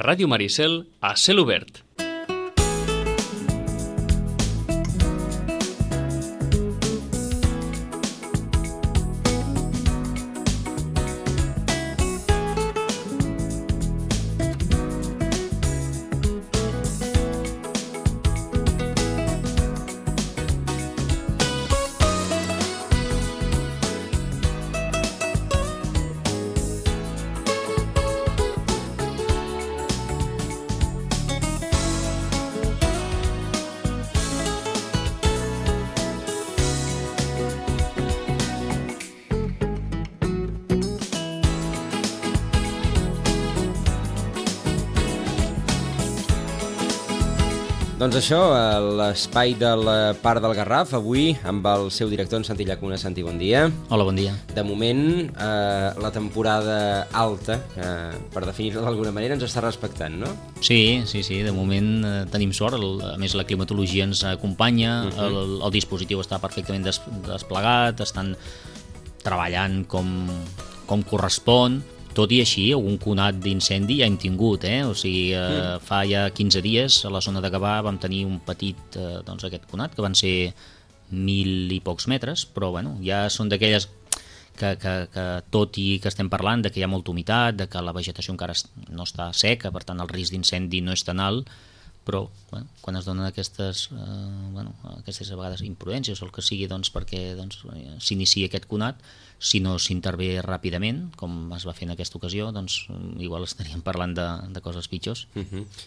Ràdio Maricel, a cel obert. Doncs això, l'espai del Parc del Garraf, avui amb el seu director, en Santi Llacuna. Santi, bon dia. Hola, bon dia. De moment, la temporada alta, per definir-la d'alguna manera, ens està respectant, no? Sí, de moment tenim sort, a més la climatologia ens acompanya, el dispositiu està perfectament desplegat, estan treballant com correspon. Tot i així, algun conat d'incendi ja hem tingut, O sigui, fa ja 15 dies a la zona de Gavà vam tenir un petit, aquest conat, que van ser 1.000 i pocs metres, però bueno, ja són d'aquelles que tot i que estem parlant de que hi ha molta humitat, de que la vegetació encara no està seca, per tant el risc d'incendi no és tan alt, però quan es donen aquestes a vegades imprudències o el que sigui perquè s'inicia aquest conat, si no s'intervé ràpidament, com es va fer en aquesta ocasió, doncs igual estaríem parlant de coses pitjors.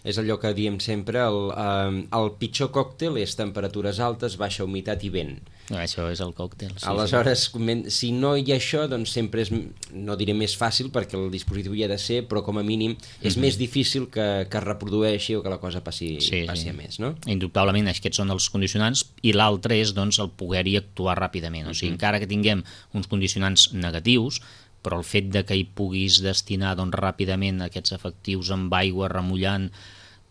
És allò que diem sempre, el pitjor còctel és temperatures altes, baixa humitat i vent. Això és el còctel. Aleshores, si no hi ha això, doncs sempre és, no diré més fàcil, perquè el dispositiu hi ha de ser, però com a mínim és més difícil que es reprodueixi o que la cosa passi a més, no? Indubtablement, aquests són els condicionants, i l'altre és el poder-hi actuar ràpidament. O sigui, encara que tinguem uns condicionants negatius, però el fet de que hi puguis destinar ràpidament aquests efectius amb aigua, remullant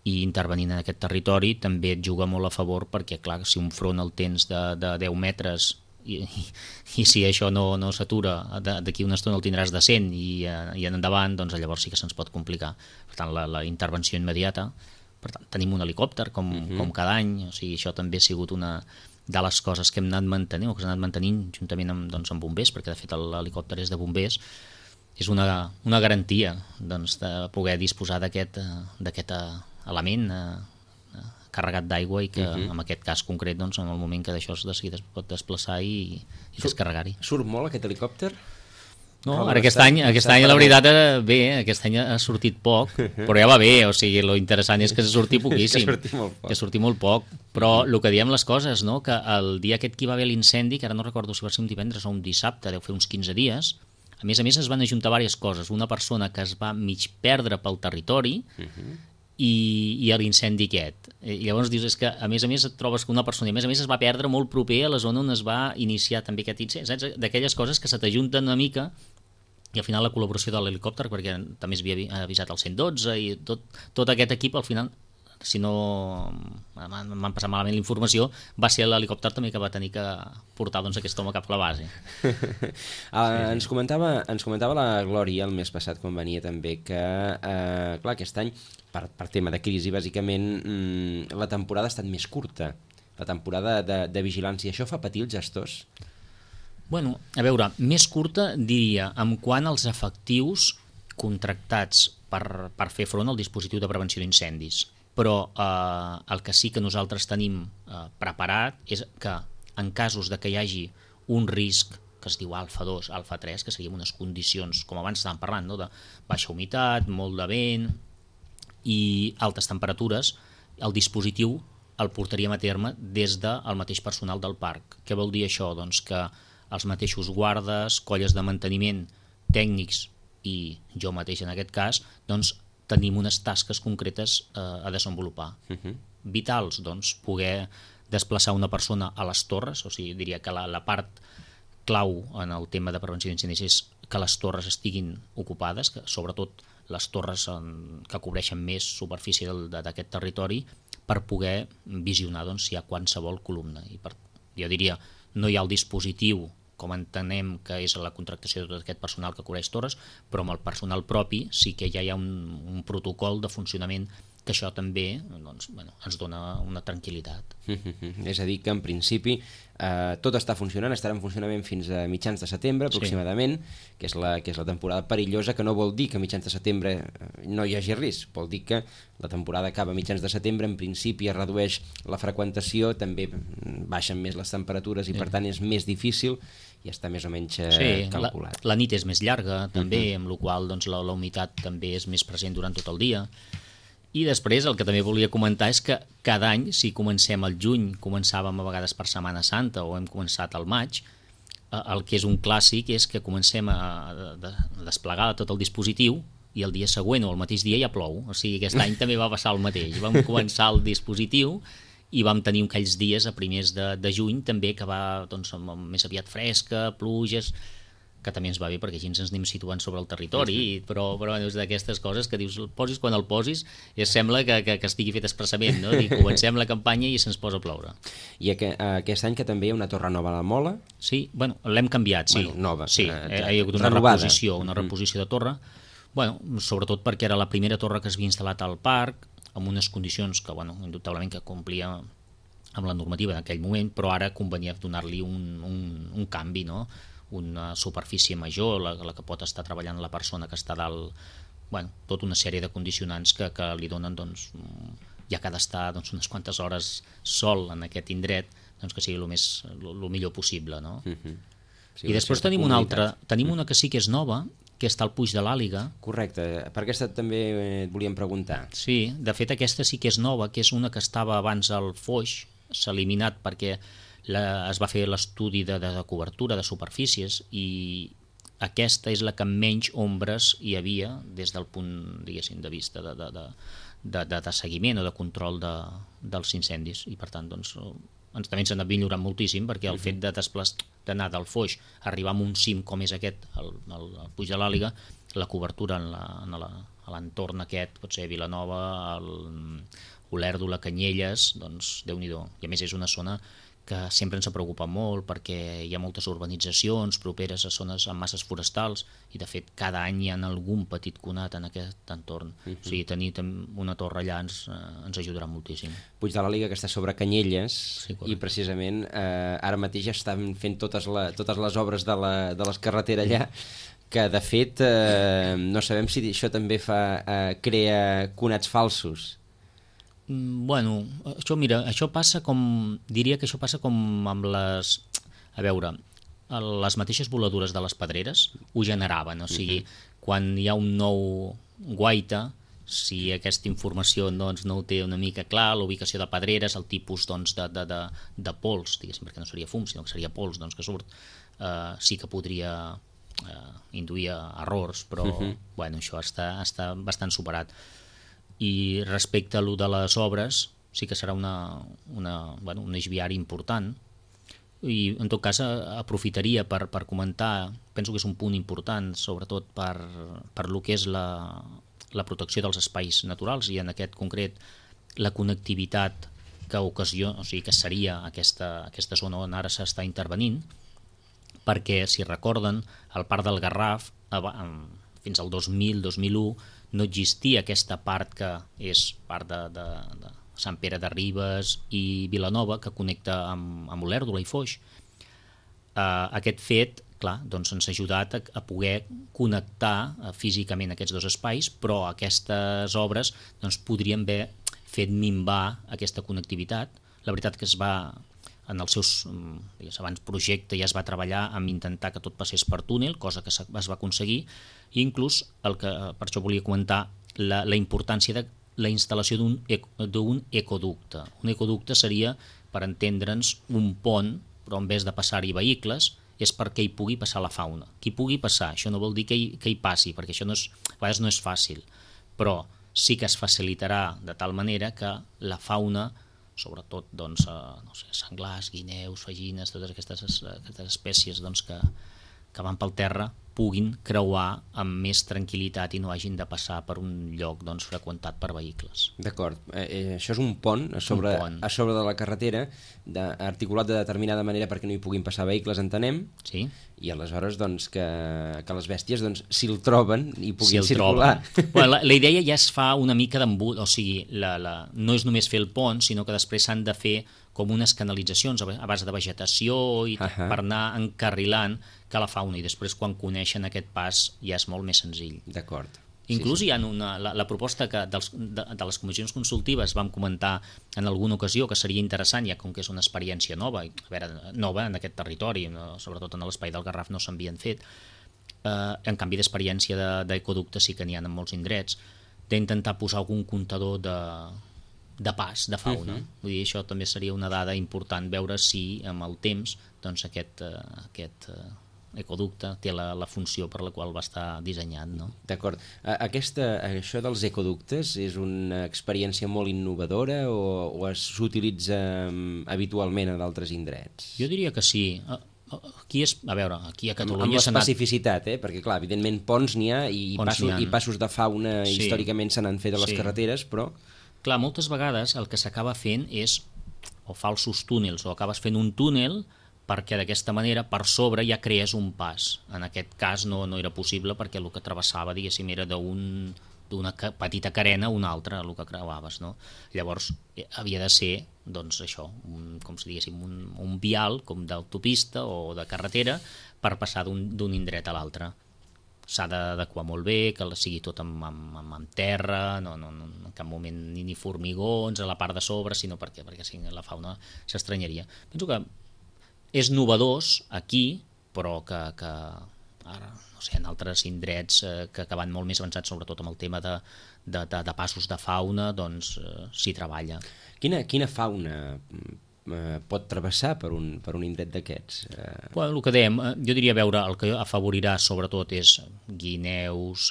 i intervenint en aquest territori, també et juga molt a favor, perquè clar, si un front el tens de 10 metres i si això no s'atura, d'aquí una estona el tindràs de 100 i en endavant, doncs llavors sí que se'ns pot complicar. Per tant, la intervenció immediata. Per tant, tenim un helicòpter com cada any, o sigui, això també ha sigut una de les coses que hem anat mantenint, o que s'ha anat mantenint juntament amb bombers, perquè de fet l'helicòpter és de bombers. És una garantia de poder disposar d'aquest element carregat d'aigua i que en aquest cas concret, en el moment que d'això es pot desplaçar i descarregar-hi. Surt molt aquest helicòpter? No, ara aquest any la veritat bé, aquest any ha sortit poc, però ja va bé, o sigui, lo interessant és que surti poquíssim, que surti molt poc, però el que diem les coses, que el dia aquest que hi va haver l'incendi, que ara no recordo si va ser un divendres o un dissabte, deu fer uns 15 dies, a més es van ajuntar diverses coses, una persona que es va mig perdre pel territori i l'incendi aquest, i llavors dius, és que a més et trobes que una persona, i a més es va perdre molt proper a la zona on es va iniciar també aquest incendi, saps? D'aquelles coses que se t'ajunten una mica. I al final la col·laboració de l'helicòpter, perquè també s'havia avisat el 112 i tot aquest equip, al final, si no m'han passat malament la informació, va ser l'helicòpter també que va tenir que portar aquest home cap a la base. Ens comentava la Glòria el mes passat quan venia també que, clar, aquest any, per tema de crisi, bàsicament, la temporada ha estat més curta, la temporada de vigilància. Això fa patir els gestors? Bueno, a veure, més curta diria en quant als efectius contractats per fer front al dispositiu de prevenció d'incendis, però el que sí que nosaltres tenim preparat és que en casos de que hi hagi un risc que es diu alfa 2, alfa 3, que serien unes condicions, com abans estàvem parlant, de baixa humitat, molt de vent i altes temperatures, el dispositiu el portaríem a terme des del mateix personal del parc. Què vol dir això? Doncs que els mateixos guardes, colles de manteniment, tècnics i jo mateix en aquest cas, doncs tenim unes tasques concretes a desenvolupar. Vitals, doncs, poder desplaçar una persona a les torres, o sigui, diria que la part clau en el tema de prevenció d'incendis és que les torres estiguin ocupades, que sobretot les torres que cobreixen més superfície d'aquest territori, per poder visionar si hi ha qualsevol columna. I jo diria, no hi ha el dispositiu com entenem que és la contractació de tot aquest personal que cobreix torres, però amb el personal propi sí que ja hi ha un protocol de funcionament que això també doncs, ens dona una tranquil·litat. És a dir, que en principi tot està funcionant, estarà en funcionament fins a mitjans de setembre aproximadament, que és la temporada perillosa, que no vol dir que a mitjans de setembre no hi hagi risc, vol dir que la temporada acaba a mitjans de setembre, en principi es redueix la freqüentació, també baixen més les temperatures i per tant és més difícil i està més o menys calculat. La nit és més llarga també, amb la qual cosa la humitat també és més present durant tot el dia. I després el que també volia comentar és que cada any, si comencem al juny, començàvem a vegades per Setmana Santa o hem començat al maig, el que és un clàssic és que comencem a desplegar tot el dispositiu i el dia següent o el mateix dia ja plou. O sigui, aquest any també va passar el mateix. Vam començar el dispositiu i vam tenir aquells dies a primers de juny també que va doncs, més aviat fresca, pluges, que també ens va bé perquè així ens anem situant sobre el territori, però és d'aquestes coses que dius, posis quan el posis i sembla que estigui fet expressament, no? Dic, comencem la campanya i se'ns posa a ploure. I aquest any que també hi ha una torre nova a la Mola? Sí, bueno, l'hem canviat, sí. Bueno, nova. Sí, hi ha hagut una reposició de torre, bueno, sobretot perquè era la primera torre que s'havia instal·lat al parc, amb unes condicions que, bueno, indubtablement que complia amb la normativa en aquell moment, però ara convenia donar-li un canvi, no? Una superfície major, la que pot estar treballant la persona que està dalt, bueno, tota una sèrie de condicionants que li donen, doncs, ja que ha d'estar doncs, unes quantes hores sol en aquest indret, doncs que sigui el millor possible, no? Sí, i després tenim una altra, tenim una que sí que és nova, que està al Puig de l'Àliga. Correcte, per aquesta també et volíem preguntar. Sí, de fet aquesta sí que és nova, que és una que estava abans al Foix, s'ha eliminat perquè es va fer l'estudi de cobertura de superfícies i aquesta és la que menys ombres hi havia des del punt, diguéssim, de vista de seguiment o de control dels incendis i per tant doncs, també ens ha anat millorant moltíssim perquè el fet d'anar del Foix a arribar a un cim com és aquest, el Puig de l'Àliga, la cobertura a l'entorn aquest, pot ser Vilanova, Olèrdola, Canyelles, doncs Déu-n'hi-do. I a més és una zona que sempre ens ha preocupat molt perquè hi ha moltes urbanitzacions properes a zones amb masses forestals i de fet cada any hi ha algun petit conat en aquest entorn. O sigui, tenir una torre allà ens ajudarà moltíssim. Puig de l'Àliga que està sobre Canyelles i precisament ara mateix estan fent totes les obres de les carreteres allà que de fet no sabem si això també crea conats falsos. Bueno, això passa diria que això passa com amb les mateixes voladures de les pedreres ho generaven, o sigui, quan hi ha un nou guaita, si aquesta informació doncs, no ho té una mica clar, la ubicació de pedreres, el tipus doncs, de pols, diguéssim, perquè no seria fum, sinó que seria pols doncs, que surt, sí que podria induir errors, però bueno, això està bastant superat. I respecte a lo de les obres sí que serà un eix viari important i en tot cas aprofitaria per comentar, penso que és un punt important sobretot per lo que és la protecció dels espais naturals i en aquest concret la connectivitat que seria aquesta zona on ara s'està intervenint, perquè si recorden el Parc del Garraf fins al 2000-2001 no existia aquesta part que és part de Sant Pere de Ribes i Vilanova que connecta amb Olèrdola i Foix. Aquest fet, clar, doncs ens ha ajudat a poder connectar físicament aquests dos espais, però aquestes obres doncs, podrien haver fet minvar aquesta connectivitat. La veritat que en els seus abans projecte ja es va treballar amb intentar que tot passés per túnel, cosa que es va aconseguir, i inclús per això volia comentar la importància de la instal·lació d'un ecoducte. Un ecoducte seria, per entendre'ns, un pont, però en vez de passar-hi vehicles, és perquè hi pugui passar la fauna. Qui pugui passar, això no vol dir que hi passi, perquè això a vegades no és fàcil, però sí que es facilitarà de tal manera que la fauna, sobretot doncs, senglars, guineus, fagines, totes aquestes espècies doncs, que van pel terra, puguin creuar amb més tranquil·litat i no hagin de passar per un lloc doncs, freqüentat per vehicles. D'acord. Això és un pont a sobre de la carretera, articulat de determinada manera perquè no hi puguin passar vehicles, entenem, sí? I aleshores doncs, que les bèsties doncs, si el troben i puguin circular. Bueno, la idea ja es fa una mica d'embut, o sigui, no és només fer el pont, sinó que després s'han de fer com unes canalitzacions a base de vegetació i per anar encarrilant que la fauna, i després quan coneixen aquest pas ja és molt més senzill. D'acord. Inclús hi ha la proposta que de les comissions consultives vam comentar en alguna ocasió que seria interessant, ja com que és una experiència nova, nova en aquest territori, sobretot en l'espai del Garraf no s'havien fet, en canvi d'experiència d'ecoductes sí que n'hi ha en molts indrets, d'intentar posar algun comptador de pas, de fauna. Vull dir, això també seria una dada important, veure si amb el temps doncs, aquest ecoducte té la funció per la qual va estar dissenyat. No? D'acord. Això dels ecoductes és una experiència molt innovadora o s'utilitza habitualment a d'altres indrets? Jo diria que sí. Aquí a Catalunya... Amb l'especificitat, perquè clar, evidentment ponts n'hi ha i passos de fauna històricament se n'han fet a les carreteres, però... Clar, moltes vegades el que s'acaba fent és o falsos túnels, o acabes fent un túnel perquè d'aquesta manera per sobre ja crees un pas. En aquest cas no era possible perquè el que travessava, diguéssim, era d'una petita carena a una altra, el que creuaves. No? Llavors havia de ser, doncs això, com si diguéssim, un vial com d'autopista o de carretera per passar d'un indret a l'altre. S'ha d'adequar molt bé, que sigui tot amb terra, no en cap moment ni formigons a la part de sobre, sinó perquè la fauna s'estranyaria. Penso que és novedós aquí, però que ara, no sé, en altres indrets que van molt més avançats, sobretot amb el tema de passos de fauna, doncs s'hi treballa. Quina fauna pot travessar per un indret d'aquests? Bueno, el que dèiem, jo diria veure, el que afavorirà sobretot és guineus,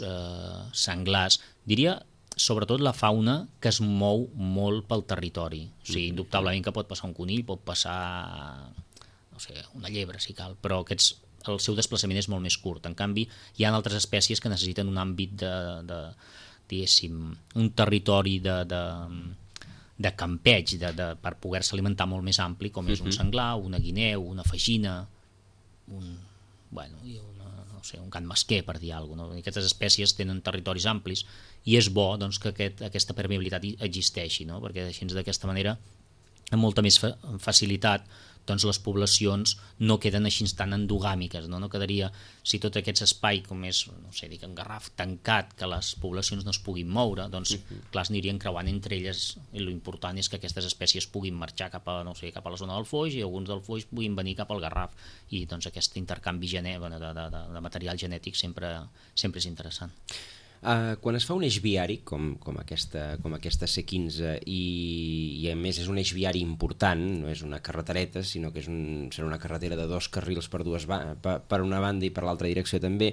senglars, diria sobretot la fauna que es mou molt pel territori. O sigui, indubtablement que pot passar un conill, pot passar, no sé, una llebre si cal, però el seu desplaçament és molt més curt. En canvi, hi ha altres espècies que necessiten un àmbit diguéssim, un territori de campeig, per poder-se alimentar molt més ampli, com és un senglar, una guineu, una fagina, un can mesquer, per dir alguna cosa. Aquestes espècies tenen territoris amplis i és bo doncs, que aquesta permeabilitat existeixi, no? Perquè així d'aquesta manera, amb molta més facilitat, doncs les poblacions no queden així tan endogàmiques, no quedaria, si tot aquest espai com és, no sé, dic en Garraf, tancat, que les poblacions no es puguin moure, doncs clar, es anirien creuant entre elles, i l'important és que aquestes espècies puguin marxar cap a la zona del Foix i alguns del Foix puguin venir cap al Garraf, i doncs aquest intercanvi de material genètic sempre és interessant. Quan es fa un eix viari com aquesta C15 i a més és un eix viari important, no és una carretereta sinó que serà una carretera de 2 carrils per una banda i per l'altra direcció també,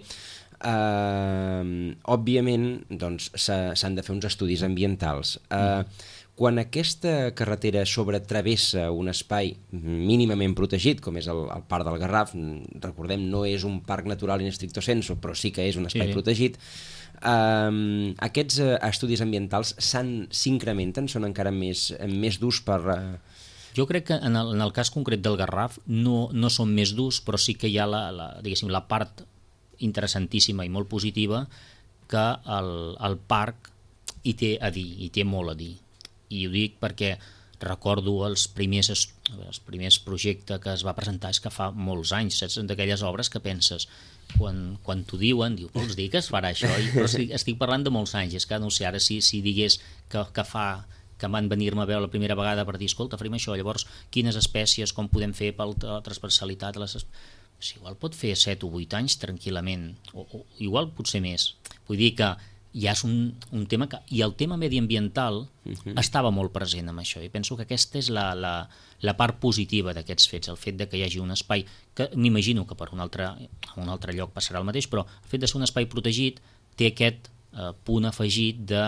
òbviament doncs, s'han de fer uns estudis ambientals. Quan aquesta carretera travessa un espai mínimament protegit, com és el Parc del Garraf, recordem, no és un parc natural in stricto sensu, però sí que és un espai protegit, aquests estudis ambientals s'incrementen, són encara més durs per... Jo crec que en el cas concret del Garraf no són més durs, però sí que hi ha la part interessantíssima i molt positiva que el parc hi té a dir, hi té molt a dir. I ho dic perquè recordo els primers projectes que es va presentar és que fa molts anys, saps? D'aquelles obres que penses, quan t'ho diuen, vols dir que es farà això? Però estic parlant de molts anys, és que no sé, ara si digués que van venir-me a veure la primera vegada per dir, escolta, farem això, llavors quines espècies, com podem fer per la transversalitat, igual pot fer 7 o 8 anys tranquil·lament, o igual potser més. Vull dir que ja és un tema que... I el tema mediambiental estava molt present amb això, i penso que aquesta és la part positiva d'aquests fets, el fet de que hi hagi un espai, que m'imagino que per un altre lloc passarà el mateix, però el fet de ser un espai protegit té aquest punt afegit de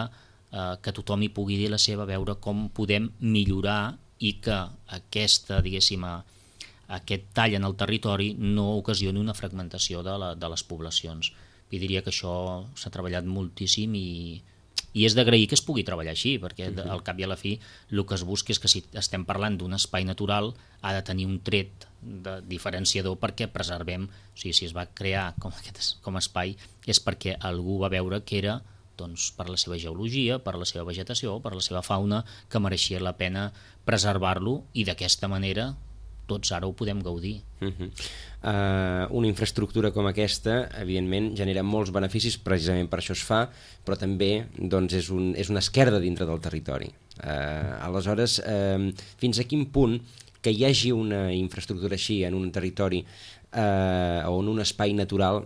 que tothom hi pugui dir la seva, veure com podem millorar i que aquesta, diguéssim, aquest tall en el territori no ocasioni una fragmentació de les poblacions. I diria que això s'ha treballat moltíssim i és d'agrair que es pugui treballar així, perquè al cap i a la fi el que es busca és que si estem parlant d'un espai natural ha de tenir un tret diferenciador perquè preservem, o sigui, si es va crear com a espai és perquè algú va veure que era doncs, per la seva geologia, per la seva vegetació, per la seva fauna, que mereixia la pena preservar-lo i d'aquesta manera tots ara ho podem gaudir. Una infraestructura com aquesta, evidentment, genera molts beneficis, precisament per això es fa, però també doncs, és una esquerda dintre del territori. Aleshores, fins a quin punt que hi hagi una infraestructura així en un territori o en un espai natural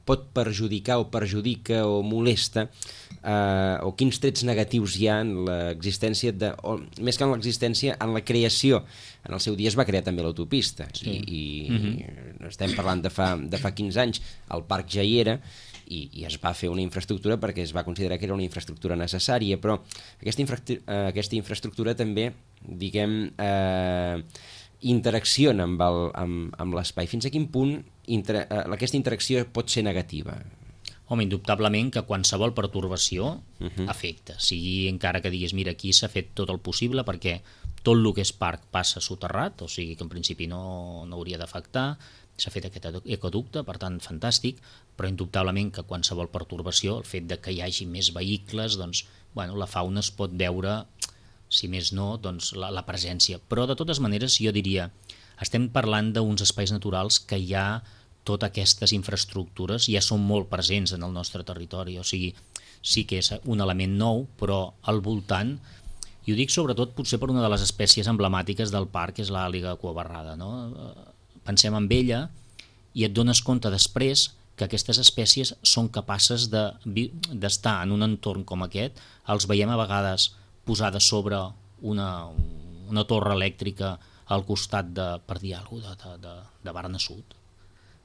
pot perjudicar o perjudica o molesta o quins trets negatius hi ha en l'existència o més que en l'existència, en la creació. En el seu dia es va crear també l'autopista i estem parlant de fa 15 anys, el parc ja hi era i es va fer una infraestructura perquè es va considerar que era una infraestructura necessària, però aquesta infraestructura també, diguem, interacciona amb l'espai. Fins a quin punt aquesta interacció pot ser negativa? Home, indubtablement que qualsevol pertorbació afecta, sigui encara que diguis mira, aquí s'ha fet tot el possible perquè tot el que és parc passa soterrat, o sigui que en principi no hauria d'afectar, s'ha fet aquest ecoducte, per tant fantàstic, però indubtablement que qualsevol pertorbació, el fet de que hi hagi més vehicles, doncs, bueno, la fauna es pot veure, si més no, doncs, la presència. Però de totes maneres jo diria, estem parlant d'uns espais naturals que ja totes aquestes infraestructures ja són molt presents en el nostre territori, o sigui, sí que és un element nou, però al voltant, i ho dic sobretot potser per una de les espècies emblemàtiques del parc, que és l'àliga cuabarrada, no? Pensem en ella i et dones compte després que aquestes espècies són capaces d'estar en un entorn com aquest, els veiem a vegades posades sobre una torre elèctrica al costat per dir alguna cosa, de Barna Sud.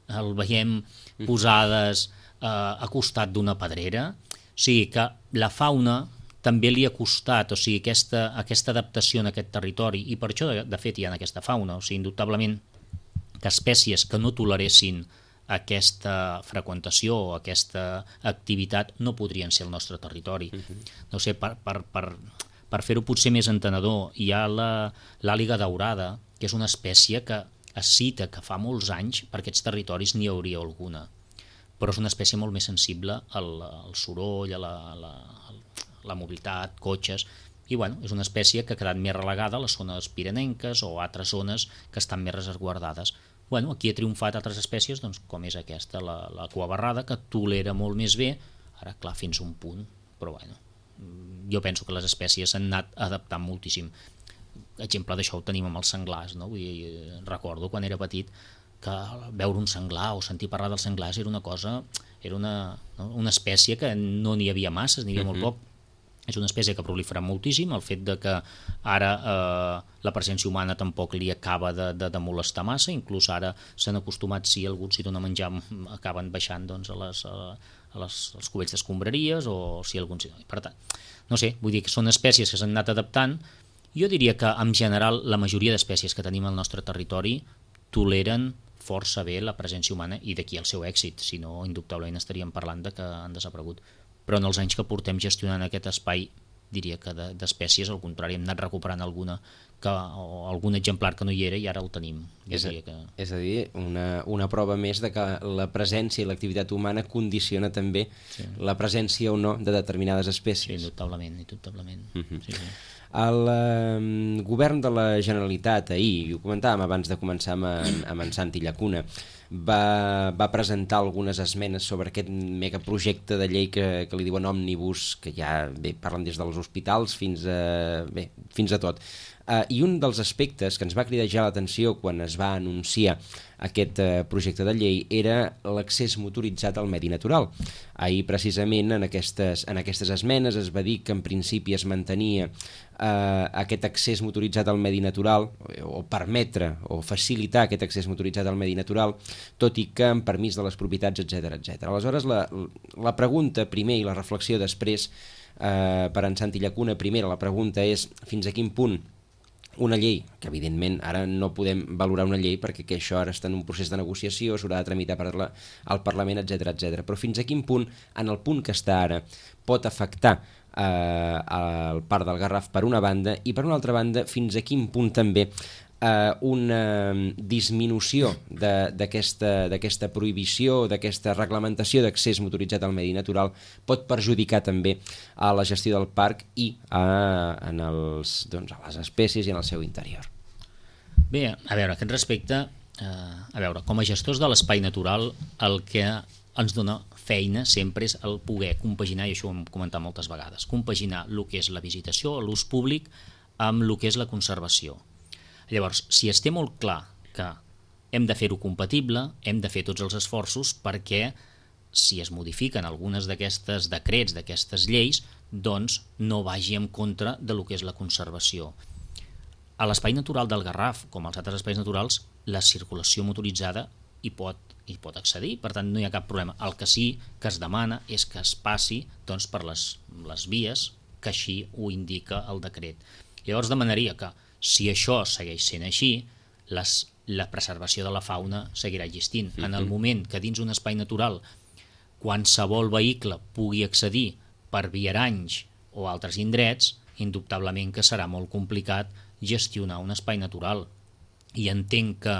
El veiem posades a costat d'una pedrera. O sigui que la fauna també li ha costat, o sigui, aquesta adaptació en aquest territori, i per això de fet hi ha aquesta fauna, o sigui, indubtablement que espècies que no toleressin aquesta freqüentació o aquesta activitat no podrien ser al nostre territori. No sé, per fer-ho potser més entenedor, hi ha l'àliga daurada, que és una espècie que es cita que fa molts anys per aquests territoris n'hi hauria alguna, però és una espècie molt més sensible al soroll, a la mobilitat, cotxes, i bueno, és una espècie que ha quedat més relegada a les zones pirenenques o altres zones que estan més resguardades. Bueno, aquí ha triomfat altres espècies, doncs, com és aquesta, la cuabarrada, que tolera molt més bé, ara clar, fins a un punt, però bueno, jo penso que les espècies s'han anat adaptant moltíssim. Exemple d'això ho tenim amb els senglars, no? Vull dir, recordo quan era petit que veure un senglar o sentir parlar dels senglars era una cosa, era una espècie que no n'hi havia masses, n'hi havia molt poc. És una espècie que ha proliferat moltíssim, el fet de que ara la presència humana tampoc li acaba de molestar massa, inclús ara s'han acostumat, si algú s'hi dona menjar, acaben baixant doncs, als cubells d'escombraries, o si algú s'hi dona. Per tant, no sé, vull dir que són espècies que s'han anat adaptant. Jo diria que en general la majoria d'espècies que tenim al nostre territori toleren força bé la presència humana i d'aquí el seu èxit, si no indubtablement estaríem parlant de que han desaparegut. Però en els anys que portem gestionant aquest espai diria que d'espècies al contrari hem anat recuperant alguna o algun exemplar que no hi era i ara el tenim. És a dir, una prova més de que la presència i l'activitat humana condiciona també la presència o no de determinades espècies. Sí, indubtablement. Sí. El govern de la Generalitat ahir, i ho comentàvem abans de començar amb en Santi Llacuna, va presentar algunes esmenes sobre aquest megaprojecte de llei que li diuen òmnibus, que ja parlen des dels hospitals fins a tot. I un dels aspectes que ens va cridar ja l'atenció quan es va anunciar aquest projecte de llei era l'accés motoritzat al medi natural. Ahir precisament en aquestes esmenes es va dir que en principi es mantenia aquest accés motoritzat al medi natural o permetre o facilitar aquest accés motoritzat al medi natural, tot i que amb permís de les propietats, etc. Aleshores la pregunta primer i la reflexió després per en Santi Llacuna, primera la pregunta és fins a quin punt una llei, que evidentment ara no podem valorar una llei perquè que això ara està en un procés de negociació, s'haurà de tramitar al Parlament, etc. Però fins a quin punt, en el punt que està ara, pot afectar el parc del Garraf per una banda, i per una altra banda fins a quin punt també una disminució d'aquesta prohibició, d'aquesta reglamentació d'accés motoritzat al medi natural pot perjudicar també a la gestió del parc i a les espècies i en el seu interior. Bé, a veure, a aquest respecte, com a gestors de l'espai natural, el que ens dona feina sempre és el poder compaginar, i això ho hem comentat moltes vegades, compaginar el que és la visitació, l'ús públic, amb el que és la conservació. Llavors, si es té molt clar que hem de fer-ho compatible, hem de fer tots els esforços perquè si es modifiquen algunes d'aquestes decrets, d'aquestes lleis, doncs no vagi en contra de lo que és la conservació. A l'espai natural del Garraf, com als altres espais naturals, la circulació motoritzada hi pot accedir, per tant no hi ha cap problema. El que sí que es demana és que es passi doncs, per les vies que així ho indica el decret. Llavors demanaria que si això segueix sent així, la preservació de la fauna seguirà existint. En el moment que dins un espai natural qualsevol vehicle pugui accedir per viaranys o altres indrets, indubtablement que serà molt complicat gestionar un espai natural. I entenc que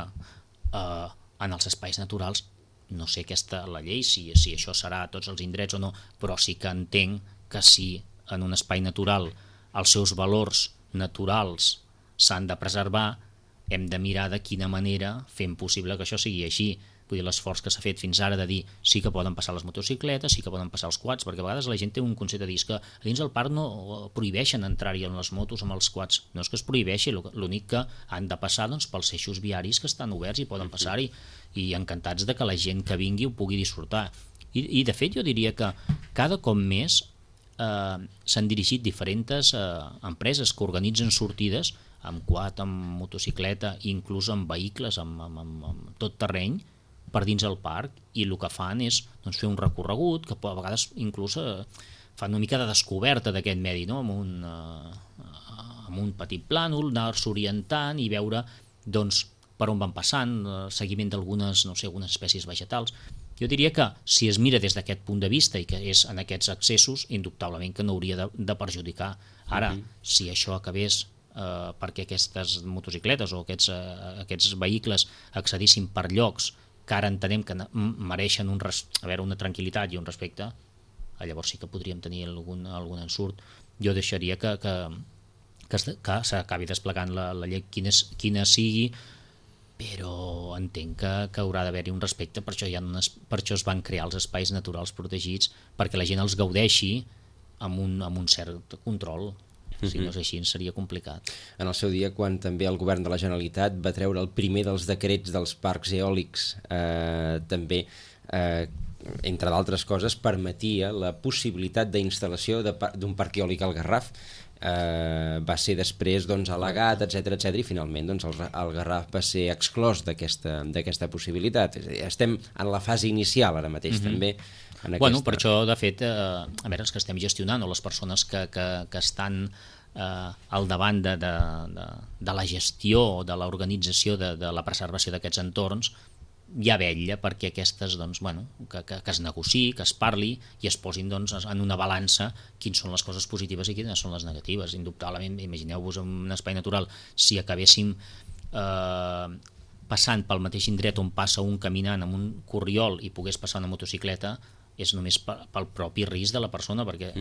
en els espais naturals, no sé la llei, si això serà a tots els indrets o no, però sí que entenc que si en un espai natural els seus valors naturals s'han de preservar, hem de mirar de quina manera fem possible que això sigui així. Vull dir, l'esforç que s'ha fet fins ara de dir sí que poden passar les motocicletes, sí que poden passar els quads, perquè a vegades la gent té un concepte de dir que dins del parc no prohibeixen entrar-hi en les motos amb els quads. No és que es prohibeixi, l'únic que han de passar doncs, pels eixos viaris que estan oberts i poden passar-hi, i encantats de que la gent que vingui ho pugui disfrutar. I de fet jo diria que cada cop més s'han dirigit diferents empreses que organitzen sortides amb quad, amb motocicleta, inclús amb vehicles, amb tot terreny, per dins el parc, i el que fan és doncs, fer un recorregut, que a vegades inclús fan una mica de descoberta d'aquest medi, no? amb un petit plànol, anar-se orientant i veure doncs, per on van passant, seguiment d'algunes algunes espècies vegetals. Jo diria que si es mira des d'aquest punt de vista i que és en aquests accessos, indubtablement que no hauria de perjudicar. Ara, si això acabés perquè aquestes motocicletes o aquests vehicles accedissin per llocs que ara entenem que mereixen una tranquil·litat i un respecte, llavors sí que podríem tenir algun ensurt. Jo deixaria que s'acabi desplegant la llei quina sigui, però entenc que haurà d'haver-hi un respecte, per això es van crear els espais naturals protegits, perquè la gent els gaudeixi amb un cert control. Si no és així, seria complicat. En el seu dia, quan també el govern de la Generalitat va treure el primer dels decrets dels parcs eòlics, també, entre d'altres coses, permetia la possibilitat d'instal·lació d'un parc eòlic al Garraf. Va ser després al·legat, etc, i finalment el Garraf va ser exclòs d'aquesta possibilitat. Estem en la fase inicial ara mateix també. Per això, de fet, els que estem gestionant o les persones que estan al davant de la gestió o de l'organització de la preservació d'aquests entorns, ja vetlla perquè aquestes, que es negociï, que es parli i es posin en una balança quines són les coses positives i quines són les negatives. Indubtablement, imagineu-vos en un espai natural, si acabéssim passant pel mateix indret on passa un caminant amb un corriol i pogués passar una motocicleta, és només pel propi risc de la persona, perquè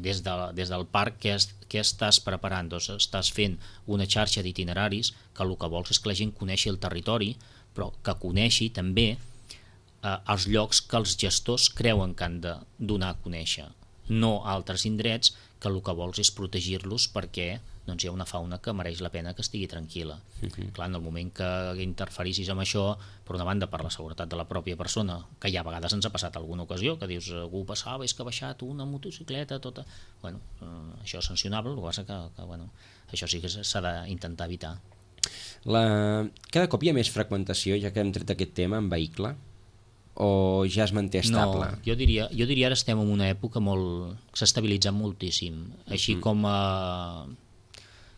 des del parc què estàs preparant? Doncs estàs fent una xarxa d'itineraris que el que vols és que la gent coneixi el territori, però que coneixi també els llocs que els gestors creuen que han de donar a conèixer, no a altres indrets que el que vols és protegir-los perquè hi ha una fauna que mereix la pena que estigui tranquil·la. Clar, en el moment que interferissis amb això, per una banda per la seguretat de la pròpia persona, que ja a vegades ens ha passat alguna ocasió, que dius, algú passava, és que ha baixat una motocicleta, tota... Això és sancionable, el que passa que això sí que s'ha d'intentar evitar. Cada cop hi ha més fragmentació, ja que hem tret aquest tema, en vehicle? O ja es manté estable? No, jo diria ara estem en una època que s'ha estabilitzat moltíssim, així com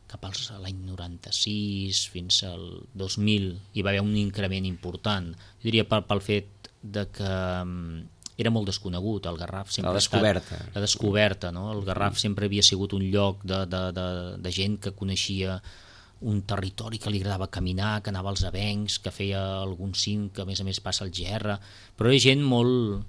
cap a l'any 96 fins al 2000 hi va haver un increment important. Jo diria pel fet de que era molt desconegut, el Garraf sempre la descoberta, no? El Garraf sempre havia sigut un lloc de gent que coneixia un territori que li agradava caminar, que anava als avencs, que feia algun cim, que a més passa al Gerra, però era gent molt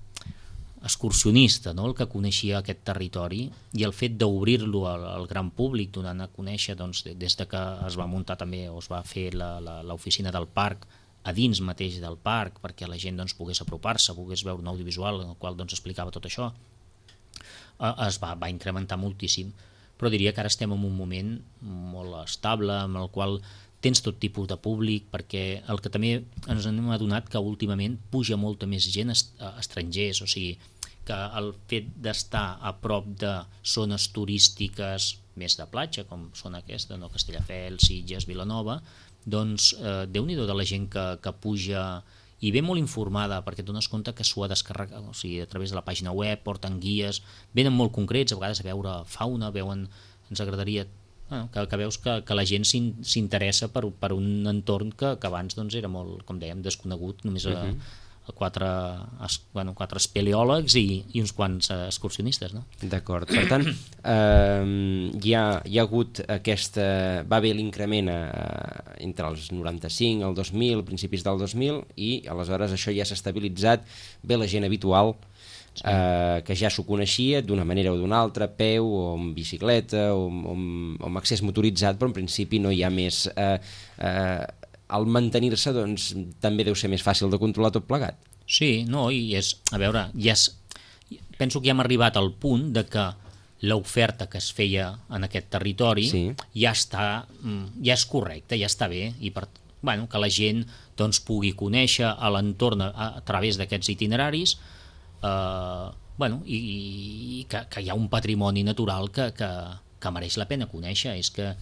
excursionista, no? El que coneixia aquest territori, i el fet d'obrir-lo al gran públic, donant a conèixer doncs, des de que es va muntar també o es va fer l'oficina del parc a dins mateix del parc, perquè la gent doncs, pogués apropar-se, pogués veure un audiovisual en el qual doncs, explicava tot això, es va incrementar moltíssim. Però diria que ara estem en un moment molt estable, en el qual tens tot tipus de públic, perquè el que també ens hem adonat que últimament puja molta més gent estrangers, o sigui, que el fet d'estar a prop de zones turístiques més de platja, com són aquesta, no? Castelldefels, Sitges, Vilanova, doncs Déu-n'hi-do de la gent que puja i ve molt informada, perquè et dones compte que s'ho ha descarregat, o sigui, a través de la pàgina web, porten guies, venen molt concrets, a vegades a veure fauna, ens agradaria que veus que la gent s'interessa per un entorn que abans doncs, era molt, com dèiem, desconegut, només a quatre espeleòlegs i uns quants excursionistes, no? D'acord, per tant hi ha hagut va haver l'increment entre els 95, el 2000, principis del 2000, i aleshores això ja s'ha estabilitzat, ve la gent habitual que ja s'ho coneixia d'una manera o d'una altra, a peu o amb bicicleta o amb accés motoritzat, però en principi no hi ha més al mantenir-se doncs, també deu ser més fàcil de controlar tot plegat. Sí, no, i a veure, penso que ja hem arribat al punt de que l'oferta que es feia en aquest territori ja és correcta, ja està bé, i que la gent doncs, pugui conèixer l'entorn a través d'aquests itineraris, i que hi ha un patrimoni natural que mereix la pena conèixer. És que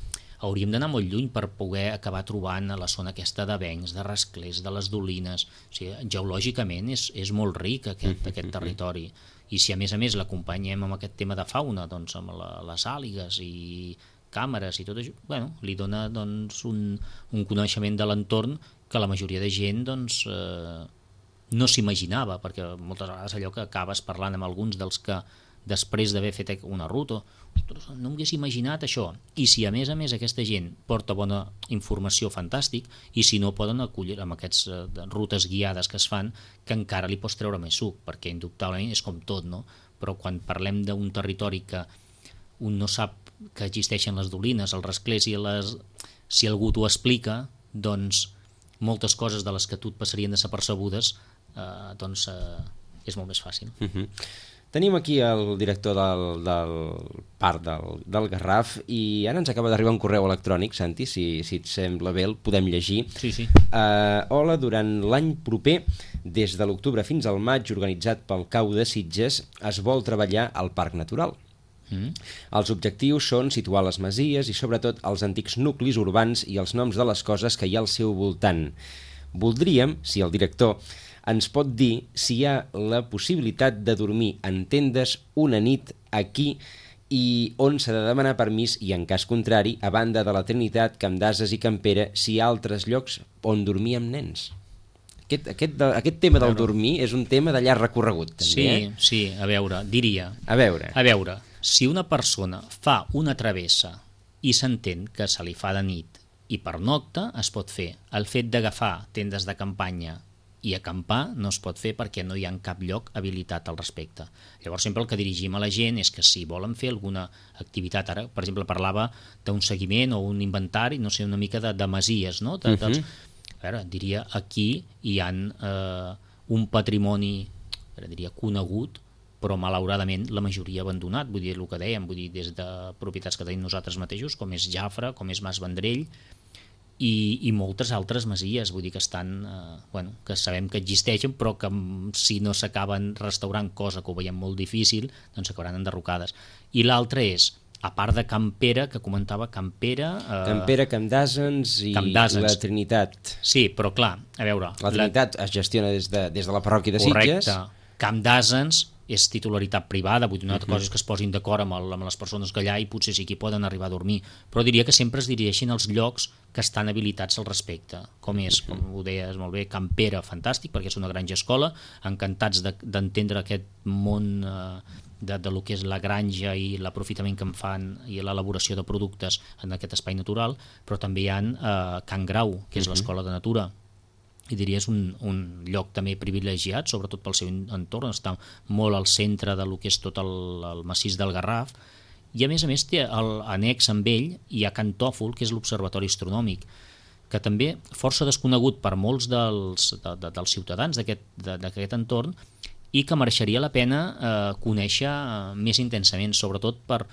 hauríem d'anar molt lluny per poder acabar trobant a la zona aquesta d'avencs, de rasclers, de les dolines. O sigui, geològicament és molt ric aquest territori, i si a més l'acompanyem amb aquest tema de fauna, doncs amb les àligues i càmeres i tot això, li dona doncs, un coneixement de l'entorn que la majoria de gent doncs, no s'imaginava, perquè moltes vegades allò que acabes parlant amb alguns dels que després d'haver fet una ruta, no m'hagués imaginat això. I si a més aquesta gent porta bona informació, fantàstic, i si no poden acollir amb aquestes rutes guiades que es fan, que encara li pots treure més suc, perquè indubtablement és com tot, no? Però quan parlem d'un territori que un no sap que existeixen les dolines, els rasclers, si algú t'ho explica, doncs moltes coses de les que tu et passarien desapercebudes doncs és molt més fàcil. Tenim aquí el director del parc del Garraf, i ara ens acaba d'arribar un correu electrònic, Santi, si et sembla bé, el podem llegir. Sí. Hola, durant l'any proper, des de l'octubre fins al maig, organitzat pel CAU de Sitges, es vol treballar al Parc Natural. Els objectius són situar les masies i sobretot els antics nuclis urbans i els noms de les coses que hi ha al seu voltant. Voldríem, si el director ens pot dir si hi ha la possibilitat de dormir en tendes una nit aquí i on s'ha de demanar permís, i en cas contrari, a banda de la Trinitat, Camp d'Ases i Campera, si hi ha altres llocs on dormir amb nens. Aquest tema del dormir és un tema de llarg recorregut, també. Sí, a veure, diria. A veure, si una persona fa una travessa i s'entén que se li fa de nit i pernocta, es pot fer. El fet d'agafar tendes de campanya i acampar no es pot fer perquè no hi ha cap lloc habilitat al respecte. Llavors sempre el que dirigim a la gent és que si volen fer alguna activitat, ara per exemple parlava d'un seguiment o un inventari, no sé, una mica de masies, no? A veure, diria aquí hi ha un patrimoni, diria conegut, però malauradament la majoria abandonat, vull dir el que dèiem, vull dir des de propietats que tenim nosaltres mateixos, com és Jafra, com és Mas Vendrell, i moltes altres masies, vull dir que estan, que sabem que existeixen, però que si no s'acaben restaurant, cosa que ho veiem molt difícil, doncs s'acabaran enderrocades. I l'altre és, a part de Campera, que comentava Campera, Camp d'Ases i la Trinitat. Sí, però clar, a veure... La Trinitat es gestiona des de la parròquia de Sitges. Correcte. Camp d'Ases és titularitat privada, vull dir, una altra cosa és que es posin d'acord amb les persones que allà i potser sí que poden arribar a dormir, però diria que sempre es dirigeixin als llocs que estan habilitats al respecte, com és, com ho deies molt bé, Can Pere, fantàstic, perquè és una granja escola, encantats d'entendre aquest món de lo que és la granja i l'aprofitament que en fan i l'elaboració de productes en aquest espai natural, però també hi ha Can Grau, que és l'escola de natura, i diria és un lloc també privilegiat, sobretot pel seu entorn, està molt al centre de lo que és tot el massís del Garraf, i a més té l'annex amb ell hi ha Can Tòfol, que és l'observatori astronòmic, que també força desconegut per molts dels ciutadans d'aquest entorn i que mereixeria la pena conèixer més intensament, sobretot per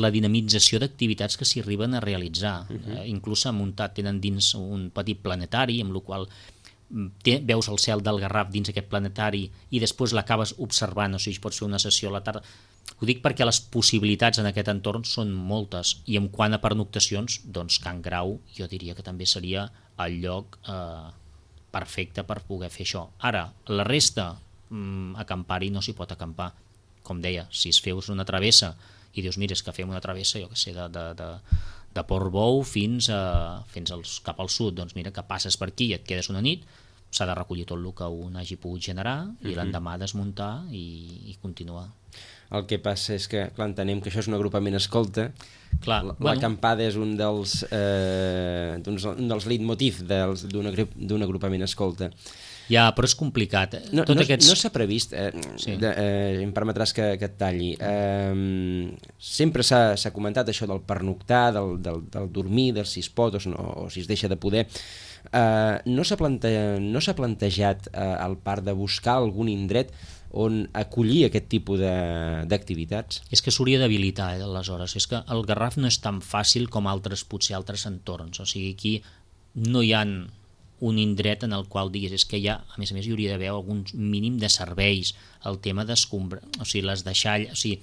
la dinamització d'activitats que s'hi arriben a realitzar. Inclús s'ha muntat, tenen dins un petit planetari, amb el qual veus el cel del Garraf dins aquest planetari i després l'acabes observant, o sigui, pots fer una sessió a la tarda. Ho dic perquè les possibilitats en aquest entorn són moltes, i en quant a pernoctacions, doncs Can Grau jo diria que també seria el lloc perfecte per poder fer això. Ara, la resta, acampar-hi no s'hi pot acampar. Com deia, si es feus una travessa i dius, mira, és que fem una travessa, jo què sé, de Portbou fins cap al sud, doncs mira que passes per aquí i et quedes una nit, s'ha de recollir tot el que un hagi pogut generar i l'endemà desmuntar i continuar. El que passa és que, clar, entenem que això és un agrupament escolta. Clar, l'acampada és un dels leitmotiv d'un agrupament escolta. Ja, però és complicat. No s'ha previst, em permetràs que et talli, sempre s'ha comentat això del pernoctar, del dormir, del si es pot o si es deixa de poder. No s'ha plantejat al parc de buscar algun indret on acollir aquest tipus d'activitats? És que s'hauria d'habilitar, aleshores. És que el Garraf no és tan fàcil com potser altres entorns. O sigui, aquí no hi ha un indret en el qual diguis, és que a més hi hauria d'haver algun mínim de serveis, el tema d'escombra, o sigui, les deixalles, o sigui,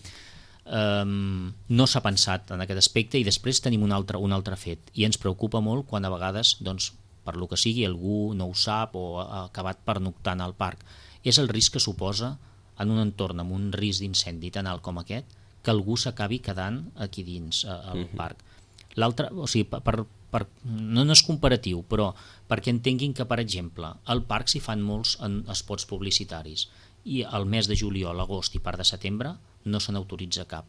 no s'ha pensat en aquest aspecte, i després tenim un altre fet, i ens preocupa molt quan a vegades, doncs, per lo que sigui, algú no ho sap o ha acabat pernoctant al parc. És el risc que suposa en un entorn amb un risc d'incendi tan alt com aquest, que algú s'acabi quedant aquí dins al parc. L'altre, o sigui, no és comparatiu, però perquè entenguin que, per exemple, al parc s'hi fan molts spots publicitaris i al mes de juliol, agost i part de setembre no se n'autoritza cap.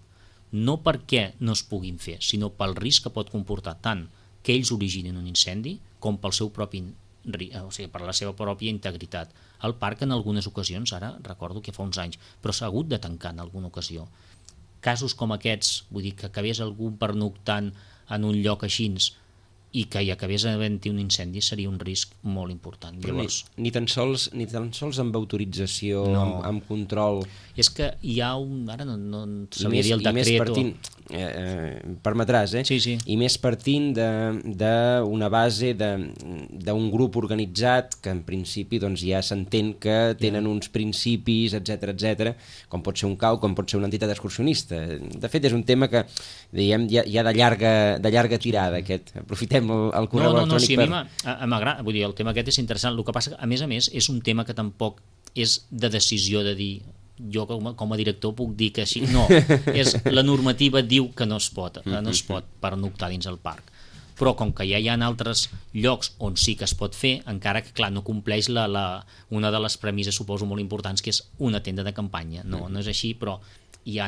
No perquè no es puguin fer, sinó pel risc que pot comportar tant que ells originin un incendi com pel seu propi, o sigui, per la seva pròpia integritat. El parc en algunes ocasions, ara recordo que fa uns anys, però s'ha hagut de tancar en alguna ocasió. Casos com aquests, vull dir, que acabés algú pernoctant en un lloc així i que hi acabés havent-hi un incendi seria un risc molt important. Llavors, ni tan sols amb autorització, amb control. És que hi ha ara no sabia dir el decret. Permetràs, Sí. I més partint d'una base d'un grup organitzat que en principi doncs, ja s'entén que tenen uns principis, etc, com pot ser un CAU, com pot ser una entitat excursionista. De fet, és un tema que diguem ja de llarga tirada, aquest. Aprofitem el correu electrònic. Sí, a mi m'agrada, vull dir, el tema aquest és interessant. El que passa que, a més, és un tema que tampoc és de decisió de dir jo com a director puc dir que així. No, la normativa diu que no es pot pernoctar dins el parc. Però com que ja hi ha altres llocs on sí que es pot fer, encara que clar no compleix una de les premisses, suposo, molt importants, que és una tenda de campanya. No és així, però hi ha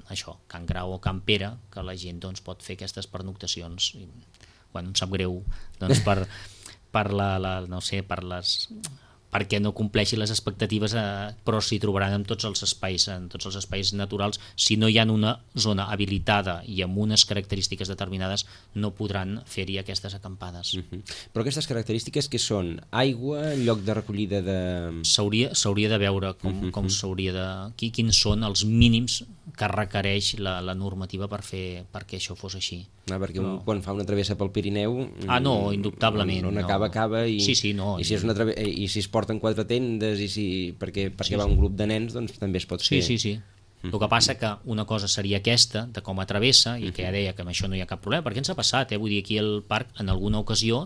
això, Can Grau o Can Pere, que la gent doncs, pot fer aquestes pernoctacions. Bueno, em sap greu doncs, perquè no compleixi les expectatives, però s'hi trobaran en tots els espais naturals. Si no hi ha una zona habilitada i amb unes característiques determinades, no podran fer-hi aquestes acampades. Però aquestes característiques què són? Aigua, lloc de recollida de... S'hauria de veure com s'hauria de... Quins són els mínims que requereix la normativa perquè això fos així. Perquè quan fa una travessa pel Pirineu... no, indubtablement. On acaba i... Sí, no. I si es porten 4 tendes i perquè va un grup de nens, doncs també es pot fer. Sí. El que passa que una cosa seria aquesta, de com a travessa, i que ja deia que amb això no hi ha cap problema, perquè ens ha passat, vull dir, aquí al parc, en alguna ocasió,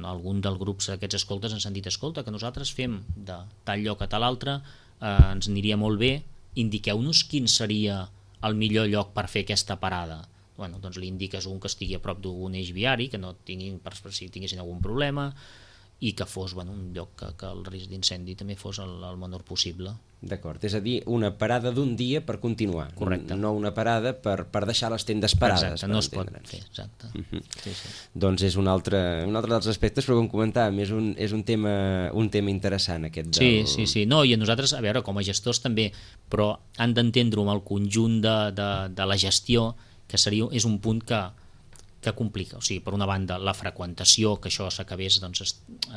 algun dels grups d'aquests escoltes ens han dit, escolta, que nosaltres fem de tal lloc a tal altre, ens aniria molt bé indiqueu-nos quin seria el millor lloc per fer aquesta parada. Bueno, doncs li indiques un que estigui a prop d'un eix viari, que no tinguin, per si tinguessin algun problema, i que fos un lloc que el risc d'incendi també fos el menor possible. D'acord, és a dir, una parada d'un dia per continuar. Correcte. No una parada per deixar les tendes parades. Exacte, no es pot fer, exacte. Sí. Doncs és un altre dels aspectes, però com comentàvem, és un tema interessant aquest del... Sí. No, i a nosaltres, a veure, com a gestors també, però han d'entendre-ho amb el conjunt de la gestió, que és un punt que complica. O sigui, per una banda, la freqüentació, que això s'acabés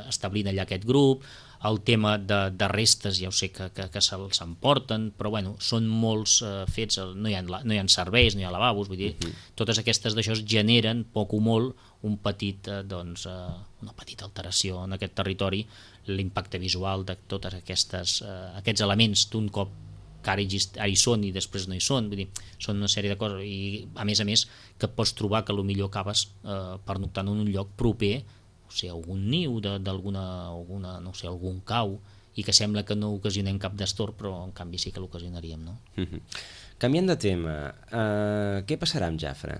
establint allà aquest grup, el tema de restes, ja ho sé que se'ls emporten, però bueno, són molts fets, no hi ha serveis, no hi ha lavabos, vull dir, totes aquestes d'això generen poc o molt una petita alteració en aquest territori, l'impacte visual de tots aquests elements d'un cop que ara hi són i després no hi són, vull dir, són una sèrie de coses, i a més que pots trobar que potser acabes pernoctant en un lloc proper, o sigui, algun niu d'alguna, no sé, algun cau, i que sembla que no ocasionem cap destorb, però en canvi sí que l'ocasionaríem, no? Canviant de tema, què passarà amb Jafre?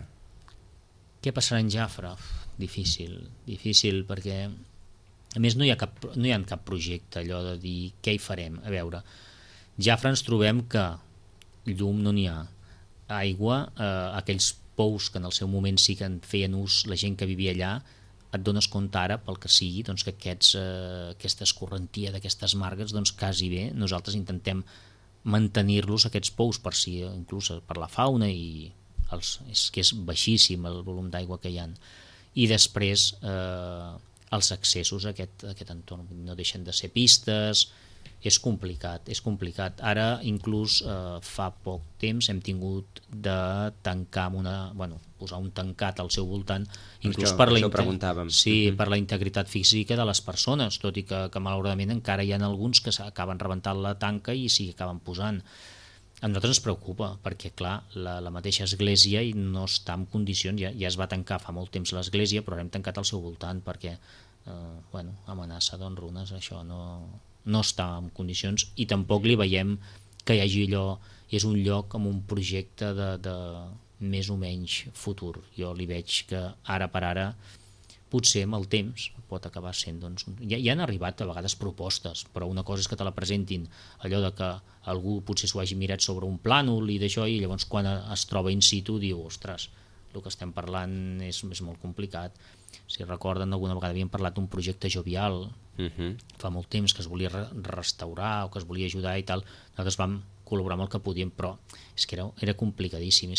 Què passarà amb Jafre? Difícil, perquè a més no hi ha cap projecte allò de dir què hi farem. A veure, Jafre ens trobem que llum no n'hi ha, aigua, aquells pous que en el seu moment sí que en feien ús la gent que vivia allà, et dones compte ara, pel que sigui, doncs, que aquesta escorrentia d'aquestes margues, doncs quasi bé, nosaltres intentem mantenir-los, aquests pous, per si inclús per la fauna, i és que és baixíssim el volum d'aigua que hi ha. I després els accessos a aquest entorn no deixen de ser pistes. És complicat. Ara, inclús fa poc temps, hem tingut de tancar posar un tancat al seu voltant, inclús per la integritat física de les persones, tot i que malauradament encara hi ha alguns que s'acaben rebentant la tanca i s'hi acaben posant. A nosaltres ens preocupa, perquè clar, la mateixa església no està en condicions, ja es va tancar fa molt temps l'església, però hem tancat al seu voltant perquè amenaça runes, això no està en condicions, i tampoc li veiem que hi hagi allò, és un lloc amb un projecte de més o menys futur. Jo li veig que ara per ara, potser amb el temps, pot acabar sent... Ja han arribat a vegades propostes, però una cosa és que te la presentin, allò de que algú potser s'ho hagi mirat sobre un plànol i d'això, i llavors quan es troba in situ diu, ostres, el que estem parlant és molt complicat. Si recorden, alguna vegada havíem parlat d'un projecte jovial, fa molt temps, que es volia restaurar o que es volia ajudar i tal. Nosaltres vam col·laborar amb el que podíem, però és que era complicadíssim,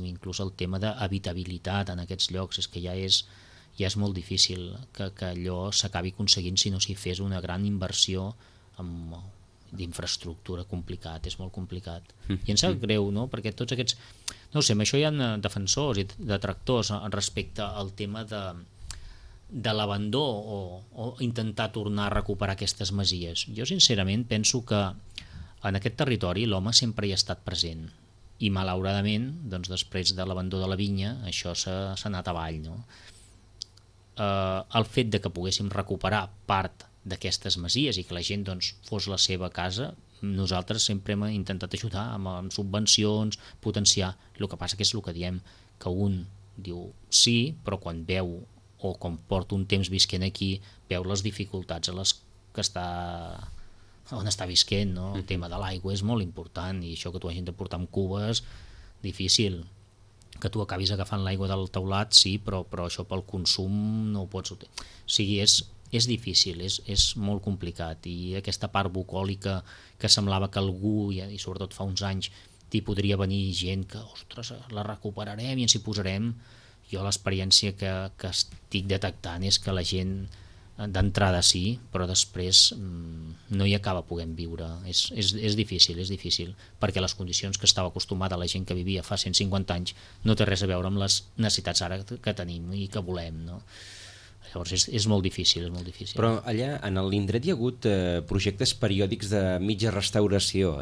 inclús el tema d'habitabilitat en aquests llocs, és que ja és molt difícil que allò s'acabi aconseguint si no s'hi fes una gran inversió d'infraestructura. És molt complicat. I ens sap greu, no? Perquè tots aquests... No sé, amb això hi ha defensors i detractors respecte al tema de l'abandó o intentar tornar a recuperar aquestes masies. Jo sincerament penso que en aquest territori l'home sempre hi ha estat present, i malauradament, doncs, després de l'abandó de la vinya, això s'ha anat avall, no? El fet de que poguéssim recuperar part d'aquestes masies i que la gent fos la seva casa, nosaltres sempre hem intentat ajudar amb subvencions, potenciar. El que passa que és el que diem, que un diu sí, però quan veu, o quan porta un temps visquent aquí, veu les dificultats a les que on està visquent, no? El tema de l'aigua és molt important, i això que tu hagin de portar amb cubes, difícil. Que tu acabis agafant l'aigua del teulat, sí, però això pel consum no ho pots... O sigui, és difícil, és molt complicat, i aquesta part bucòlica que semblava que algú, i sobretot fa uns anys, t'hi podria venir gent que, ostres, la recuperarem i ens hi posarem. Jo l'experiència que estic detectant és que la gent d'entrada sí, però després no hi acaba podent viure. És difícil, perquè les condicions que estava acostumada la gent que vivia fa 150 anys no té res a veure amb les necessitats ara que tenim i que volem, no? Llavors és molt difícil, Però allà, en l'indret hi ha hagut projectes periòdics de mitja restauració,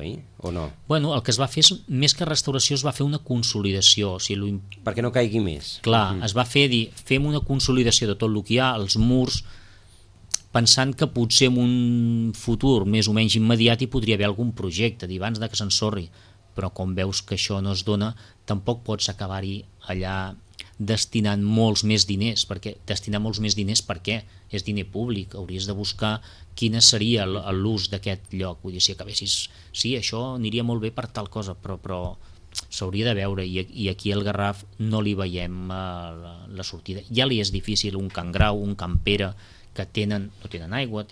o no? Bueno, el que es va fer, més que restauració, es va fer una consolidació. O sigui, perquè no caigui més. Clar, es va fer fem una consolidació de tot el que hi ha, els murs, pensant que potser en un futur més o menys immediat hi podria haver algun projecte d'abans de que s'ensorri, però com veus que això no es dona, tampoc pots acabar-hi allà destinant molts més diners, perquè destinar molts més diners per què? És diner públic, hauries de buscar quina seria l'ús d'aquest lloc, vull dir, si acabessis, sí, això aniria molt bé per tal cosa, però s'hauria de veure, i aquí al Garraf no li veiem la sortida. Ja li és difícil un Can Grau, un Can Pere, que no tenen aigua,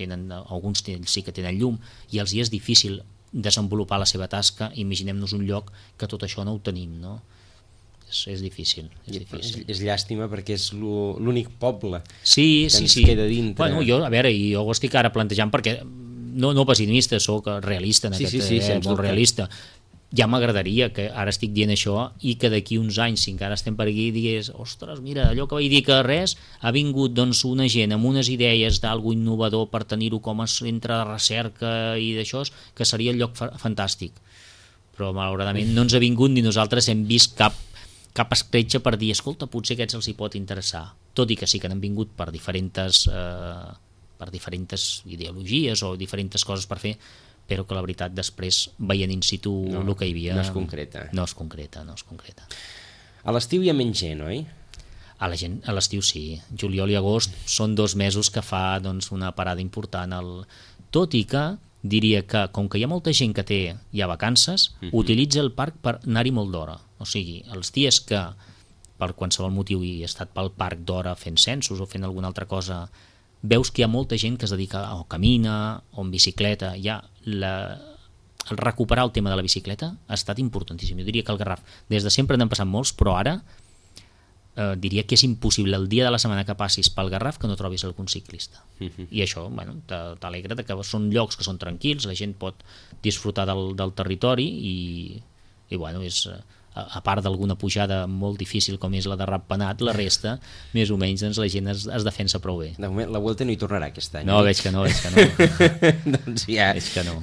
alguns sí que tenen llum, i els hi és difícil desenvolupar la seva tasca. Imaginem-nos un lloc que tot això no ho tenim, no? És difícil. És llàstima perquè és l'únic poble que ens queda dintre. Bueno, jo ho estic ara plantejant perquè no pessimista, soc realista en aquest, molt realista. Ja m'agradaria que ara estic dient això i que d'aquí uns anys, si encara estem per aquí, digués, ostres, mira, allò que vaig dir que res, ha vingut doncs una gent amb unes idees d'algo innovador per tenir-ho com a centre de recerca i d'això, que seria el lloc fantàstic. Però malauradament no ens ha vingut ni nosaltres hem vist cap escletxa per dir, escolta, potser aquests els hi pot interessar, tot i que sí que n'han vingut per diferents ideologies o diferents coses per fer, però que la veritat després veient in situ el que hi havia no es concreta. No es concreta. A l'estiu hi ha menys gent, oi? A l'estiu sí, juliol i agost són 2 mesos que fa doncs, una parada important, tot i que diria que com que hi ha molta gent que té ja vacances, utilitza el parc per anar-hi molt d'hora, o sigui, els dies que per qualsevol motiu hi he estat pel parc d'hora fent censos o fent alguna altra cosa, veus que hi ha molta gent que es dedica o camina o en bicicleta. El recuperar el tema de la bicicleta ha estat importantíssim. Jo diria que al Garraf des de sempre n'han passat molts, però ara diria que és impossible el dia de la setmana que passis pel Garraf que no trobis algun ciclista. I això t'alegra que són llocs que són tranquils, la gent pot disfrutar del territori i bueno, és a part d'alguna pujada molt difícil com és la de Ratpenat, la resta, més o menys, doncs, la gent es defensa prou bé. De moment, la Vuelta no hi tornarà aquest any. No, veig que no. Doncs ja, veig que no.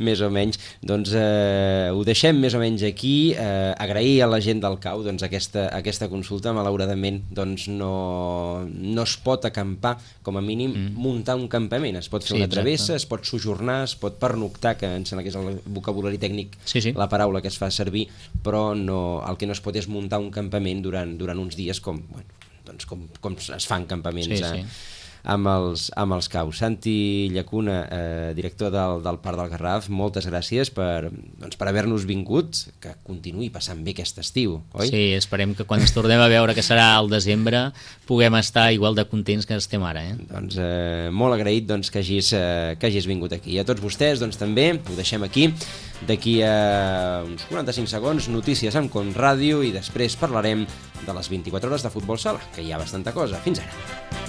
Més o menys. Doncs ho deixem més o menys aquí. Agrair a la gent del CAU doncs, aquesta consulta. Malauradament doncs, no es pot acampar, com a mínim, muntar un campament. Es pot fer una travessa, es pot sojornar, es pot pernoctar, que em sembla que és el vocabulari tècnic, la paraula que es fa servir, però el que no es pot és muntar un campament durant uns dies com es fan campaments amb els caus. Santi Llacuna, director del Parc del Garraf, moltes gràcies per haver-nos vingut, que continuï passant bé aquest estiu, oi? Sí, esperem que quan ens tornem a veure, que serà al desembre, puguem estar igual de contents que estem ara. Doncs molt agraït que hagis vingut aquí. I a tots vostès també, ho deixem aquí. D'aquí a uns 45 segons, notícies amb Con Ràdio i després parlarem de les 24 hores de futbol sala, que hi ha bastanta cosa. Fins ara.